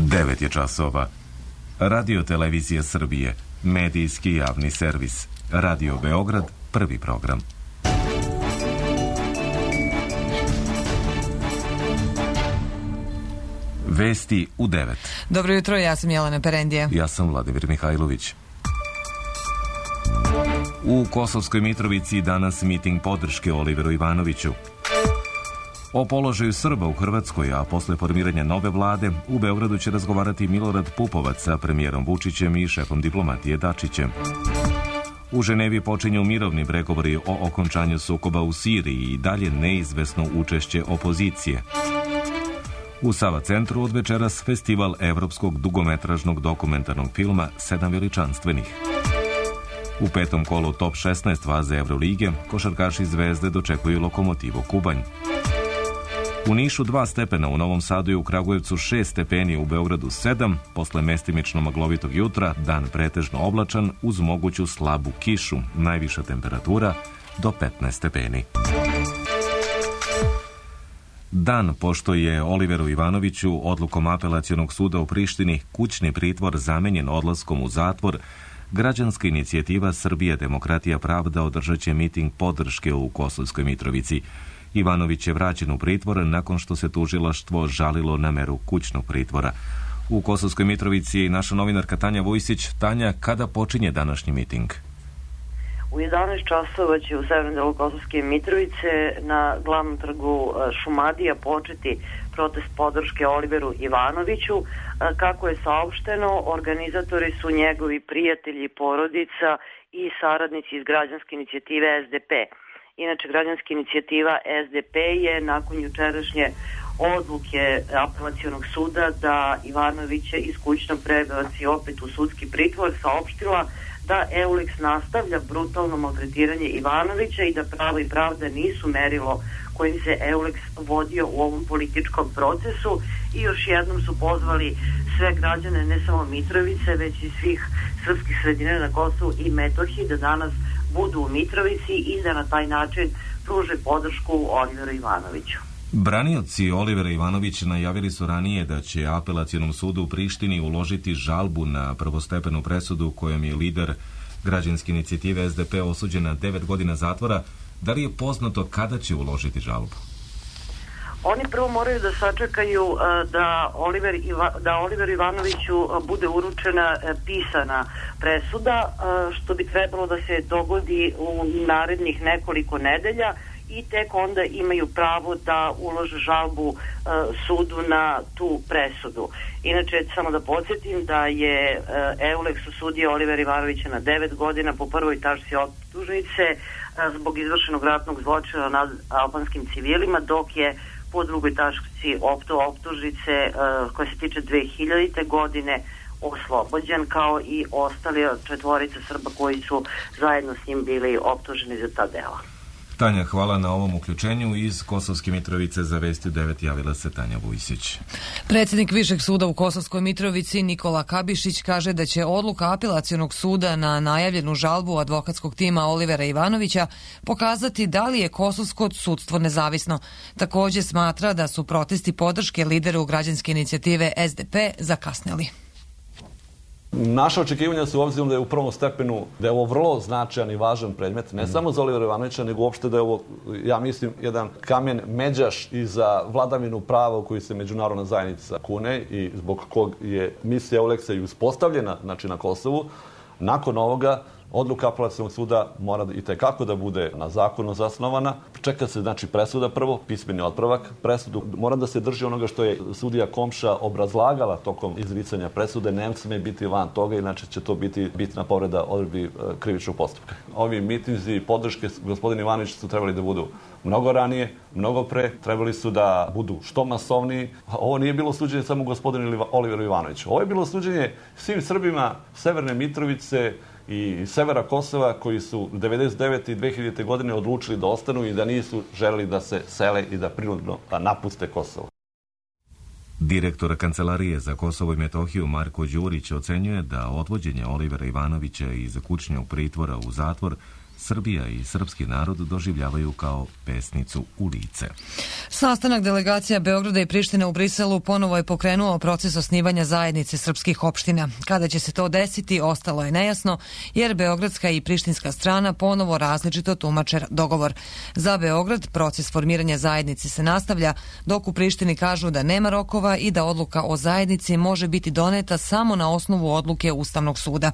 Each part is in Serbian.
9 je časova. Radio Televizija Srbije, medijski javni servis. Radio Beograd, prvi program. Vesti u 9. Dobro jutro, ja sam Jelena Perendija. Ja sam Vladimir Mihajlović. U Kosovskoj Mitrovici danas miting podrške Oliveru Ivanoviću. O položaju Srba u Hrvatskoj, a posle formiranja nove vlade, u Beogradu će razgovarati Milorad Pupovac sa premijerom Vučićem i šefom diplomatije Dačićem. U Ženevi počinju mirovni pregovori o okončanju sukoba u Siriji i dalje neizvesno učešće opozicije. U Sava centru od večeras festival evropskog dugometražnog dokumentarnog filma 7 veličanstvenih. U petom kolu top 16 faze Evrolige košarkaši Zvezde dočekuju Lokomotivo Kubanj. U Nišu 2 stepena, u Novom Sadu i u Kragujevcu 6 stepeni, u Beogradu 7, posle mestimično maglovitog jutra, dan pretežno oblačan uz moguću slabu kišu, najviša temperatura do 15 stepeni. Dan pošto je Oliveru Ivanoviću odlukom Apelacionog suda u Prištini kućni pritvor zamenjen odlaskom u zatvor, građanska inicijativa Srbija, demokratija, pravda održat će miting podrške u Kosovskoj Mitrovici. Ivanović je vraćen u pritvor nakon što se tužilaštvo žalilo na meru kućnog pritvora. U Kosovskoj Mitrovici je naša novinarka Tanja Vujsić. Tanja, kada počinje današnji miting? U 11 časova će u severnom delu Kosovske Mitrovice na glavnom trgu Šumadija početi protest podrške Oliveru Ivanoviću. Kako je saopšteno, organizatori su njegovi prijatelji, porodica i saradnici iz građanske inicijative SDP. Inače, građanska inicijativa SDP je nakon jučerašnje odluke Apelacionog suda da Ivanovića iz kućnog prebaci opet u sudski pritvor saopštila da EULEX nastavlja brutalno maltretiranje Ivanovića i da pravo i pravda nisu merilo kojim se EULEX vodio u ovom političkom procesu, i još jednom su pozvali sve građane, ne samo Mitrovice, već i svih srpskih sredina na Kosovu i Metohiji da danas budu u Mitrovici i da na taj način pruže podršku Oliveru Ivanoviću. Branioci Olivera Ivanovića najavili su ranije da će Apelacionom sudu u Prištini uložiti žalbu na prvostepenu presudu kojom je lider građanske inicijative SDP osuđen na 9 godina zatvora. Da li je poznato kada će uložiti žalbu? Oni prvo moraju da sačekaju da Oliveru Ivanoviću bude uručena pisana presuda, što bi trebalo da se dogodi u narednih nekoliko nedelja, i tek onda imaju pravo da ulože žalbu sudu na tu presudu. Inače, samo da podsjetim da je EULEX osudio Olivera Ivanovića na 9 godina po prvoj tačci optužnice zbog izvršenog ratnog zločina nad albanskim civilima, dok je po drugoj tačci optužnice koja se tiče 2000. godine oslobođen, kao i ostali 4 Srba koji su zajedno s njim bili optuženi za ta dela. Tanja, hvala na ovom uključenju. Iz Kosovske Mitrovice za Vesti 9 javila se Tanja Vujsić. Predsjednik Višeg suda u Kosovskoj Mitrovici Nikola Kabišić kaže da će odluka Apelacionog suda na najavljenu žalbu advokatskog tima Olivera Ivanovića pokazati da li je kosovsko sudstvo nezavisno. Također smatra da su protesti podrške lideru građanske inicijative SDP zakasnili. Naša očekivanja su obzirom da je u prvom stepenu, da je ovo vrlo značajan i važan predmet, ne samo za Olivera Ivanovića, nego uopšte da je ovo, ja mislim, jedan kamen međaš i za vladavinu prava u koji se međunarodna zajednica kune i zbog kog je misija EULEX-a i uspostavljena, znači, na Kosovu. Nakon ovoga, odluka Apelacionog suda mora i tekako da bude na zakonu zasnovana. Čeka se, znači, presuda prvo, pismeni otpravak. Presudu mora da se drži onoga što je sudija Komša obrazlagala tokom izricanja presude. Ne sme biti van toga, inače će to biti bitna povreda odredbi krivičnog postupka. Ovi mitinzi podrške gospodina Ivanovića su trebali da budu mnogo ranije, mnogo pre, trebali su da budu što masovniji. Ovo nije bilo suđenje samo gospodinu Oliveru Ivanoviću. Ovo je bilo suđenje svim Srbima Severne Mitrovice i severa Kosova koji su 1999. i 2000. godine odlučili da ostanu i da nisu želeli da se sele i da prinudno napuste Kosovo. Direktor Kancelarije za Kosovo i Metohiju Marko Đurić ocenjuje da odvođenje Olivera Ivanovića iz kućnog pritvora u zatvor Srbija i srpski narod doživljavaju kao pesnicu u lice. Sastanak delegacija Beograda i Prištine u Briselu ponovo je pokrenuo proces osnivanja zajednice srpskih opština. Kada će se to desiti, ostalo je nejasno, jer beogradska i prištinska strana ponovo različito tumače dogovor. Za Beograd proces formiranja zajednice se nastavlja, dok u Prištini kažu da nema rokova i da odluka o zajednici može biti doneta samo na osnovu odluke Ustavnog suda.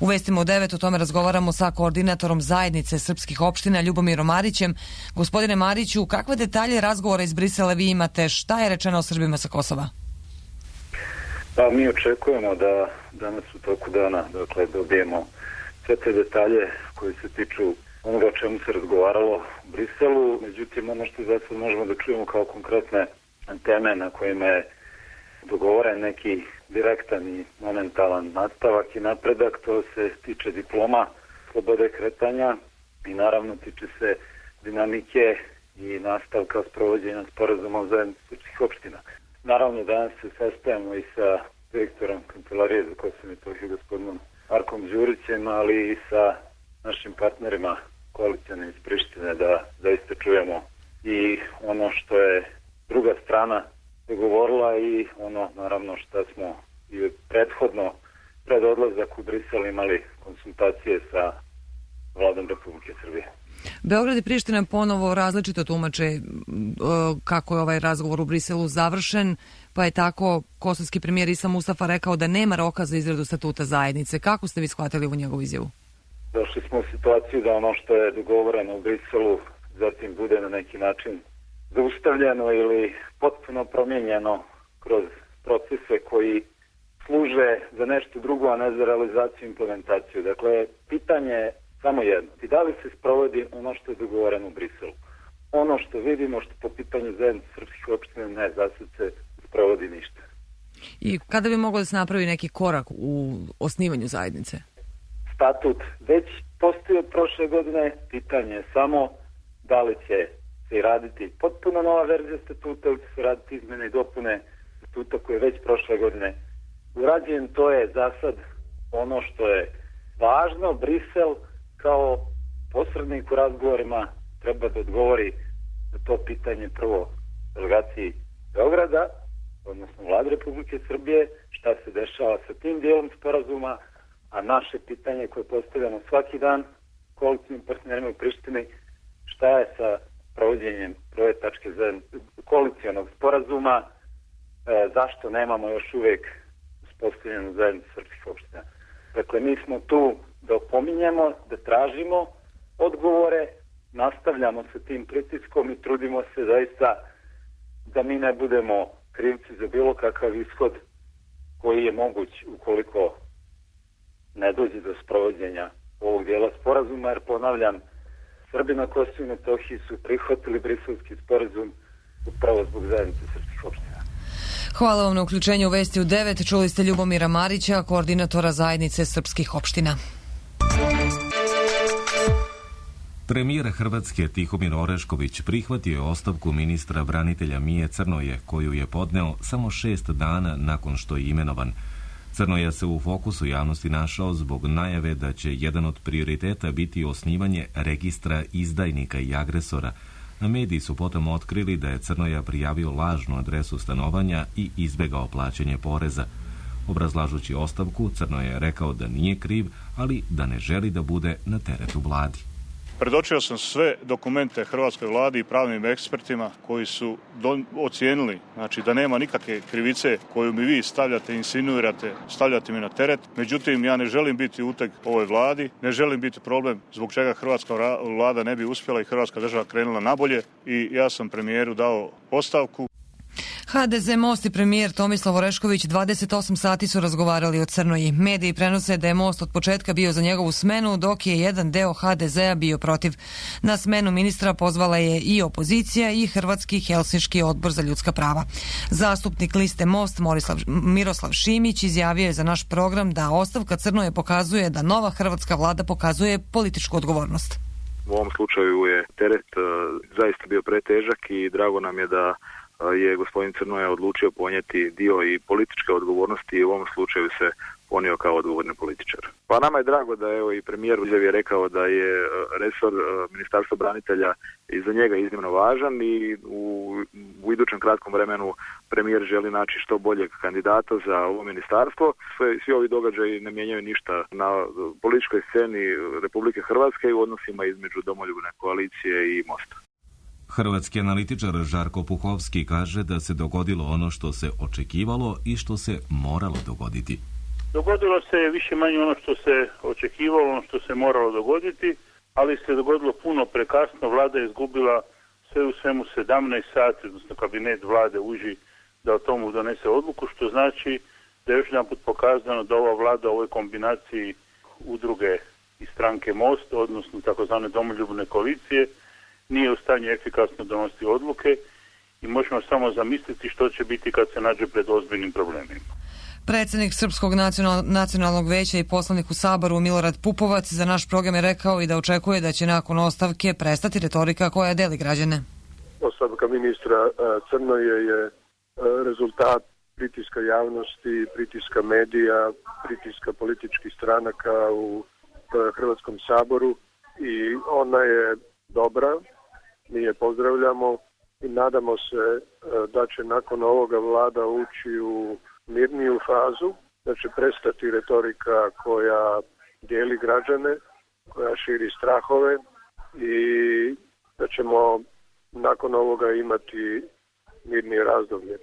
U Vestima u 9 o tome razgovaramo sa koordinatorom zajednice srpskih opština Ljubomirom Marićem. Gospodine Mariću, kakve detalje razgovora iz Brisela vi imate? Šta je rečeno o Srbima sa Kosova? Pa mi očekujemo da danas u toku dana dobijemo sve te detalje koji se tiču onoga o čemu se razgovaralo u Briselu. Međutim, ono što za sad možemo da čujemo kao konkretne teme na kojima je dogovoren neki direktan i momentalan nastavak i napredak, to se tiče diploma, slobode kretanja i naravno tiče se dinamike i nastavka sprovođenja sporazuma o zajednici srpskih opština. Naravno danas se sastajemo i sa direktorom Kancelarije za Kosovo i Metohiju gospodinom Markom Đurićem, ali i sa našim partnerima koalicijane iz Prištine da zaista čujemo i ono što je druga strana dogovorila i ono naravno što smo i prethodno pred odlazak u Brisel imali konsultacije sa vladom Republike Srbije. Beograd i Priština ponovo različito tumače kako je ovaj razgovor u Briselu završen, pa je tako kosovski premijer Isa Mustafa rekao da nema roka za izradu statuta zajednice. Kako ste vi shvatili u njegovu izjavu? Došli smo u situaciju da ono što je dogovoreno u Briselu zatim bude na neki način zaustavljeno ili potpuno promijenjeno kroz procese koji služe za nešto drugo, a ne za realizaciju i implementaciju. Dakle, pitanje je samo jedno. I da li se sprovodi ono što je dogovoreno u Briselu? Ono što vidimo, što po pitanju zajednice srpskih opština ne, za sad se sprovodi ništa. I kada bi moglo da se napravi neki korak u osnivanju zajednice? Statut već postoji od prošle godine. Pitanje je samo da li će se raditi potpuno nova verzija statuta ili će se raditi izmene i dopune statuta koji je već prošle godine urađen. To je za sad ono što je važno. Brisel kao posrednik u razgovorima treba da odgovori na to pitanje prvo delegaciji Beograda, odnosno Vlade Republike Srbije, šta se dešava sa tim dijelom sporazuma, a naše pitanje koje postavljamo svaki dan koalicijnim partnerima u Prištini, šta je sa provođenjem prve tačke koalicijonog sporazuma, zašto nemamo još uvijek uspostavljenu zajednicu srpskih opština. Dakle, mi smo tu da opominjemo, da tražimo odgovore, nastavljamo sa tim pritiskom i trudimo se zaista da mi ne budemo krivci za bilo kakav ishod koji je moguć ukoliko ne dođe do sprovođenja ovog dijela sporazuma, jer ponavljam, Srbi na Kosovu i Metohiji su prihvatili briselski sporazum upravo zbog zajednice srpskih opština. Hvala vam na uključenju u Vesti u 9. Čuli ste Ljubomira Marića, koordinatora zajednice srpskih opština. Premijer Hrvatske Tihomir Orešković prihvatio je ostavku ministra branitelja Mije Crnoje, koju je podneo samo 6 dana nakon što je imenovan. Crnoja se u fokusu javnosti našao zbog najave da će jedan od prioriteta biti osnivanje registra izdajnika i agresora, a mediji su potom otkrili da je Crnoja prijavio lažnu adresu stanovanja i izbegao plaćanje poreza. Obrazlažući ostavku, Crnoja je rekao da nije kriv, ali da ne želi da bude na teretu vladi. Predočio sam sve dokumente hrvatskoj vladi i pravnim ekspertima koji su ocijenili, znači da nema nikakve krivice koju mi vi stavljate, insinuirate, stavljate mi na teret. Međutim, ja ne želim biti uteg ovoj vladi, ne želim biti problem zbog čega hrvatska vlada ne bi uspjela i hrvatska država krenula nabolje i ja sam premijeru dao ostavku. HDZ, Most i premijer Tomislav Orešković 28 sati su razgovarali o Crnoji. Mediji prenose da je Most od početka bio za njegovu smenu, dok je jedan deo HDZ-a bio protiv. Na smenu ministra pozvala je i opozicija i Hrvatski Helsinški odbor za ljudska prava. Zastupnik liste Most Miroslav Šimić izjavio je za naš program da ostavka Crnoje pokazuje da nova hrvatska vlada pokazuje političku odgovornost. U ovom slučaju je teret zaista bio pretežak i drago nam je da je gospodin Crnoja odlučio ponijeti dio i političke odgovornosti i u ovom slučaju se ponio kao odgovorni političar. Pa nama je drago da evo i premijer u izjavi je rekao da je resor Ministarstva branitelja i za njega iznimno važan i u idućem kratkom vremenu premijer želi naći što boljeg kandidata za ovo ministarstvo. Svi ovi događaji ne mijenjaju ništa na političkoj sceni Republike Hrvatske i u odnosima između Domoljubne koalicije i Mosta. Hrvatski analitičar Žarko Puhovski kaže da se dogodilo ono što se očekivalo i što se moralo dogoditi. Dogodilo se više manje ono što se očekivalo, ono što se moralo dogoditi, ali se dogodilo puno prekasno. Vlada je izgubila sve u svemu 17 sati, odnosno kabinet vlade uži da o tomu donese odluku, što znači da je još jedan put pokazano da ova vlada u ovoj kombinaciji udruge i stranke Most, odnosno takozvane Domoljubne koalicije, nije u stanju efikasno donositi odluke i možemo samo zamisliti što će biti kad se nađe pred ozbiljnim problemima. Predsjednik Srpskog nacionalnog veća i poslanik u Saboru Milorad Pupovac za naš program je rekao i da očekuje da će nakon ostavke prestati retorika koja deli građane. Ostavka ministra Crnoje je rezultat pritiska javnosti, pritiska medija, pritiska političkih stranaka u Hrvatskom saboru i ona je dobra, mi je pozdravljamo i nadamo se da će nakon ovoga vlada ući u mirniju fazu, da će prestati retorika koja dijeli građane, koja širi strahove i da ćemo nakon ovoga imati mirnije razdoblje.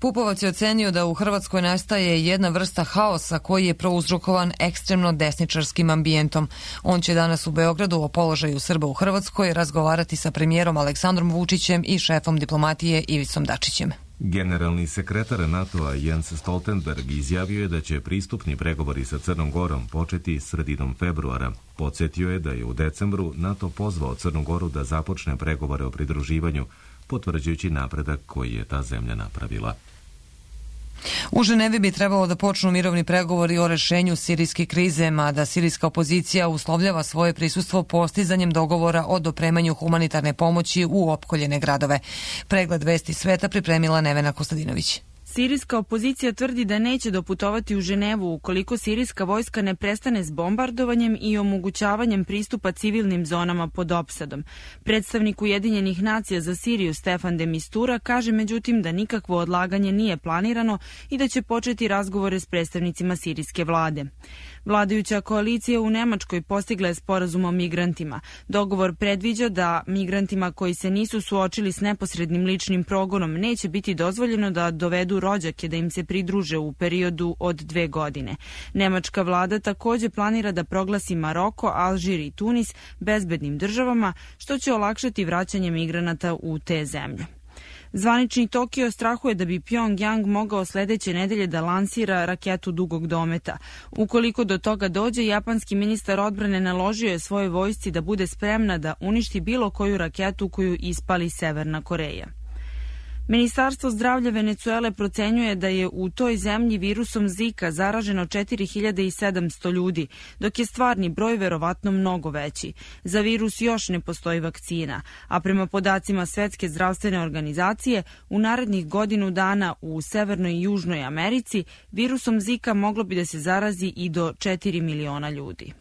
Pupovac je ocenio da u Hrvatskoj nastaje jedna vrsta haosa koji je prouzrokovan ekstremno desničarskim ambijentom. On će danas u Beogradu o položaju Srba u Hrvatskoj razgovarati sa premijerom Aleksandrom Vučićem i šefom diplomatije Ivicom Dačićem. Generalni sekretar NATO-a Jens Stoltenberg izjavio je da će pristupni pregovori sa Crnom Gorom početi sredinom februara. Podsjetio je da je u decembru NATO pozvao Crnu Goru da započne pregovore o pridruživanju, potvrđujući napredak koji je ta zemlja napravila. U Ženevi bi trebalo da počnu mirovni pregovori o rešenju sirijske krize, mada sirijska opozicija uslovljava svoje prisustvo postizanjem dogovora o dopremanju humanitarne pomoći u opkoljene gradove. Pregled vesti sveta pripremila Nevena Kostadinović. Sirijska opozicija tvrdi da neće doputovati u Ženevu ukoliko sirijska vojska ne prestane s bombardovanjem i omogućavanjem pristupa civilnim zonama pod opsadom. Predstavnik Ujedinjenih nacija za Siriju Stefan de Mistura kaže međutim da nikakvo odlaganje nije planirano i da će početi razgovore s predstavnicima sirijske vlade. Vladajuća koalicija u Nemačkoj postigla je sporazum o migrantima. Dogovor predviđa da migrantima koji se nisu suočili s neposrednim ličnim progonom neće biti dozvoljeno da dovedu rođake da im se pridruže u periodu od 2 godine. Nemačka vlada također planira da proglasi Maroko, Alžir i Tunis bezbednim državama, što će olakšati vraćanje migranata u te zemlje. Zvanični Tokio strahuje da bi Pyongyang mogao sledeće nedelje da lansira raketu dugog dometa. Ukoliko do toga dođe, japanski ministar odbrane naložio je svojoj vojsci da bude spremna da uništi bilo koju raketu koju ispali Severna Koreja. Ministarstvo zdravlja Venecuele procenjuje da je u toj zemlji virusom Zika zaraženo 4700 ljudi, dok je stvarni broj verovatno mnogo veći. Za virus još ne postoji vakcina, a prema podacima Svetske zdravstvene organizacije, u narednih godinu dana u Severnoj i Južnoj Americi virusom Zika moglo bi da se zarazi i do 4 miliona ljudi.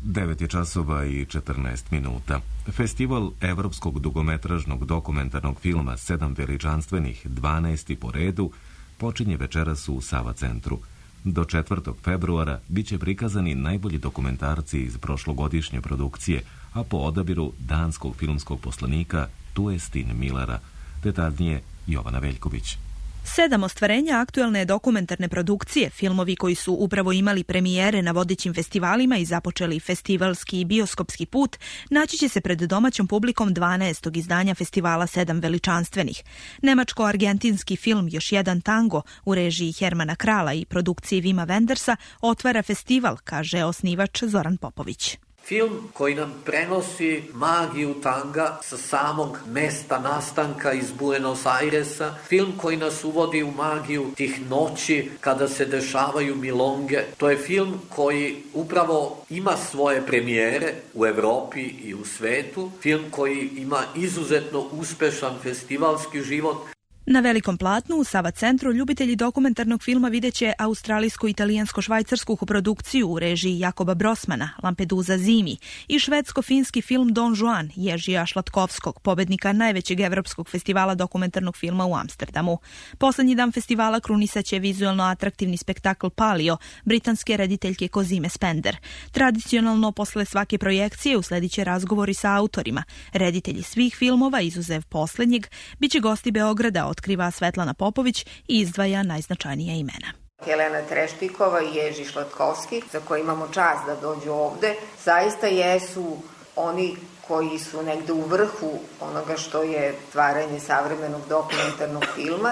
9:14. Festival evropskog dugometražnog dokumentarnog filma 7 veličanstvenih, 12. po redu, počinje večeras u Sava centru. Do 4. februara bit će prikazani najbolji dokumentarci iz prošlogodišnje produkcije, a po odabiru danskog filmskog poslanika Tuestin Millera. Detaljnije Jovana Veljković. 7 ostvarenja aktuelne dokumentarne produkcije, filmovi koji su upravo imali premijere na vodećim festivalima i započeli festivalski i bioskopski put, naći će se pred domaćom publikom 12. izdanja festivala 7 veličanstvenih. Nemačko-argentinski film Još jedan tango u režiji Hermana Krala i produkciji Vima Wendersa otvara festival, kaže osnivač Zoran Popović. Film koji nam prenosi magiju tanga sa samog mesta nastanka iz Buenos Airesa. Film koji nas uvodi u magiju tih noći kada se dešavaju milonge. To je film koji upravo ima svoje premijere u Evropi i u svetu. Film koji ima izuzetno uspešan festivalski život. Na velikom platnu u Sava centru ljubitelji dokumentarnog filma videće australijsko-italijansko-švajcarsku koprodukciju u režiji Jakoba Brosmana, Lampedusa zimi, i švedsko-finski film Don Juan, Jeržija Šlatkovskog, pobednika najvećeg evropskog festivala dokumentarnog filma u Amsterdamu. Poslednji dan festivala krunisaće vizualno atraktivni spektakl Palio, britanske rediteljke Kozime Spender. Tradicionalno, posle svake projekcije uslediće razgovori sa autorima. Reditelji svih filmova, izuzev poslednjeg, biće gosti Beograda, otkriva Svetlana Popović i izdvaja najznačajnija imena. Helena Treštikova i Ježi Šlatkovski, za koje imamo čast da dođu ovde, zaista jesu oni koji su negde u vrhu onoga što je tvaranje savremenog dokumentarnog filma.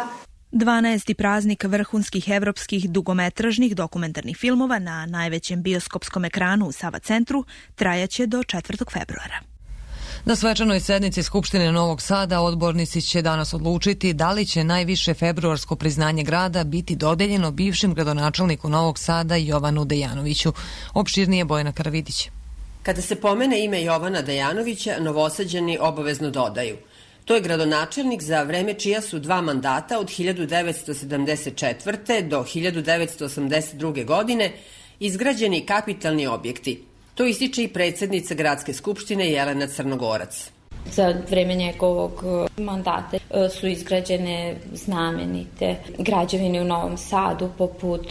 12. praznik vrhunskih evropskih dugometražnih dokumentarnih filmova na najvećem bioskopskom ekranu u Sava centru trajaće do 4. februara. Na svečanoj sednici Skupštine Novog Sada odbornici će danas odlučiti da li će najviše februarsko priznanje grada biti dodeljeno bivšem gradonačelniku Novog Sada Jovanu Dejanoviću. Opširnije Bojana Karavidić. Kada se pomene ime Jovana Dejanovića, Novosađani obavezno dodaju: to je gradonačelnik za vreme čija su 2 mandata od 1974. do 1982. godine izgrađeni kapitalni objekti. To ističe i predsjednica Gradske skupštine Jelena Crnogorac. Za vreme njegovog mandata su izgrađene znamenite građevine u Novom Sadu, poput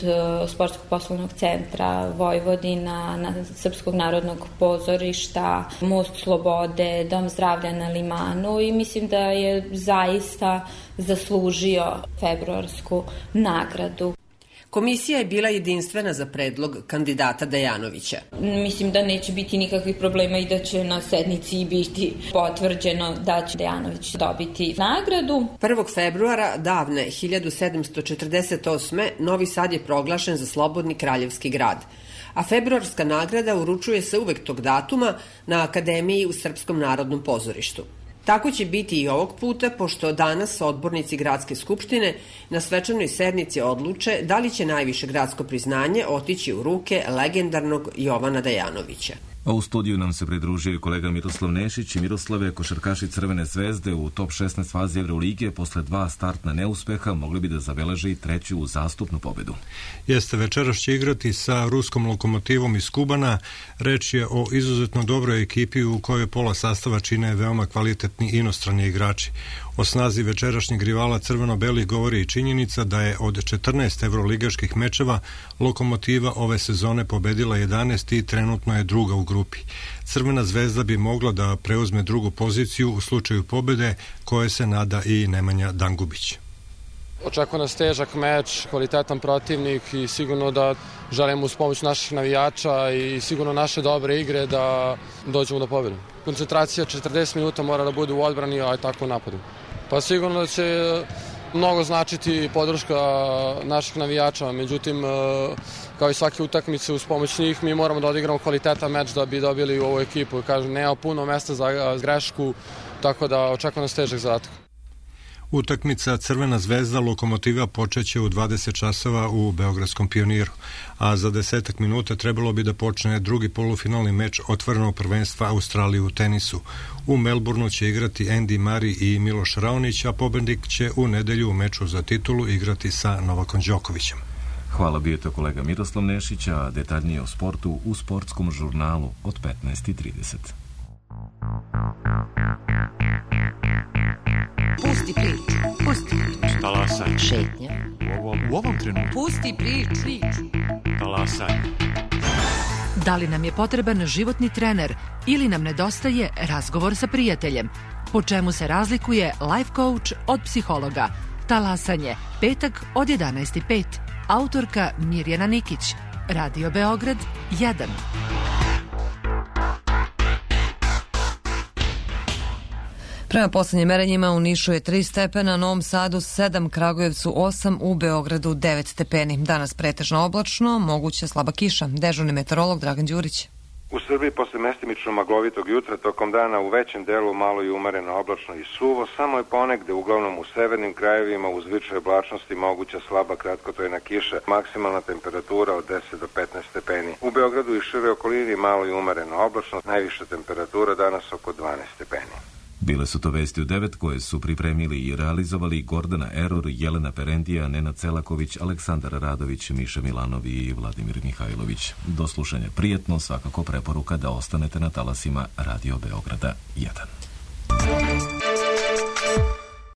Sportskog poslovnog centra Vojvodina, Srpskog narodnog pozorišta, Most Slobode, Dom zdravlja na Limanu, i mislim da je zaista zaslužio februarsku nagradu. Komisija je bila jedinstvena za predlog kandidata Dejanovića. Mislim da neće biti nikakvih problema i da će na sednici biti potvrđeno da će Dejanović dobiti nagradu. 1. februara davne 1748. Novi Sad je proglašen za slobodni kraljevski grad, a februarska nagrada uručuje se uvek tog datuma na Akademiji u Srpskom narodnom pozorištu. Tako će biti i ovog puta, pošto danas odbornici Gradske skupštine na svečanoj sednici odluče da li će najviše gradsko priznanje otići u ruke legendarnog Jovana Dejanovića. A u studiju nam se pridružio kolega Miroslav Nešić. I Miroslave, košarkaši Crvene zvezde u top 16 fazi Evrolige posle 2 startna neuspeha mogli bi da zabeleže i 3. uzastopnu pobedu. Jeste, večeras će igrati sa ruskom Lokomotivom iz Kubana. Reč je o izuzetno dobroj ekipi u kojoj pola sastava čine veoma kvalitetni inostrani igrači. O snazi večerašnjeg rivala crveno-belih govori i činjenica da je od 14 evroligaških mečeva Lokomotiva ove sezone pobedila 11 i trenutno je druga u grupi. Crvena zvezda bi mogla da preuzme drugu poziciju u slučaju pobede, koje se nada i Nemanja Dangubić. Očekuje nas težak meč, kvalitetan protivnik i sigurno da želimo uz pomoć naših navijača i sigurno naše dobre igre da dođemo do pobjede. Koncentracija 40 minuta mora da bude u odbrani, a i tako u napadu. Pa sigurno da će mnogo značiti podrška naših navijača, međutim, kao i svake utakmice uz pomoć njih, mi moramo da odigramo kvalitetan meč da bi dobili u ovu ekipu. Kažem, nema puno mesta za grešku, tako da očekuje nas težak zadatak. Utakmica Crvena zvezda Lokomotiva počeće u 20 časova u Beogradskom Pioniru, a za 10 minuta trebalo bi da počne drugi polufinalni meč otvorenog prvenstva Australije u tenisu. U Melbourneu će igrati Andy Murray i Miloš Raonić, a pobednik će u nedelju u meču za titulu igrati sa Novakom Đokovićem. Hvala, bio je to kolega Miroslav Nešić, a detaljnije o sportu u sportskom žurnalu od 15:30. Pusti priču, pusti priču. Talasaj. Šetnja. U ovom trenutku. Pusti priču. Talasaj. Da li nam je potreban životni trener ili nam nedostaje razgovor sa prijateljem? Po čemu se razlikuje life coach od psihologa? Talasanje, petak od 11:05. Autorka Mirjana Nikić. Radio Beograd 1. Prema poslednjim merenjima u Nišu je 3 stepena, Novom Sadu 7, Kragujevcu 8, u Beogradu 9 stepeni. Danas pretežno oblačno, moguća slaba kiša. Dežurni meteorolog Dragan Đurić. U Srbiji posle mestimično maglovitog jutra tokom dana u većem delu malo i umereno oblačno i suvo, samo je ponegde uglavnom u severnim krajevima uz više oblačnosti moguća slaba kratkotrajna kiša, maksimalna temperatura od 10 do 15 stepeni. U Beogradu i šire okolini malo i umereno oblačno, najviša temperatura danas oko 12 stepeni. Bile su to vesti u 9 koje su pripremili i realizovali Gordana Eror, Jelena Perendija, Nenad Celaković, Aleksandar Radović, Miša Milanov i Vladimir Mihajlović. Do slušanja prijetno, svakako preporuka da ostanete na talasima Radio Beograda 1.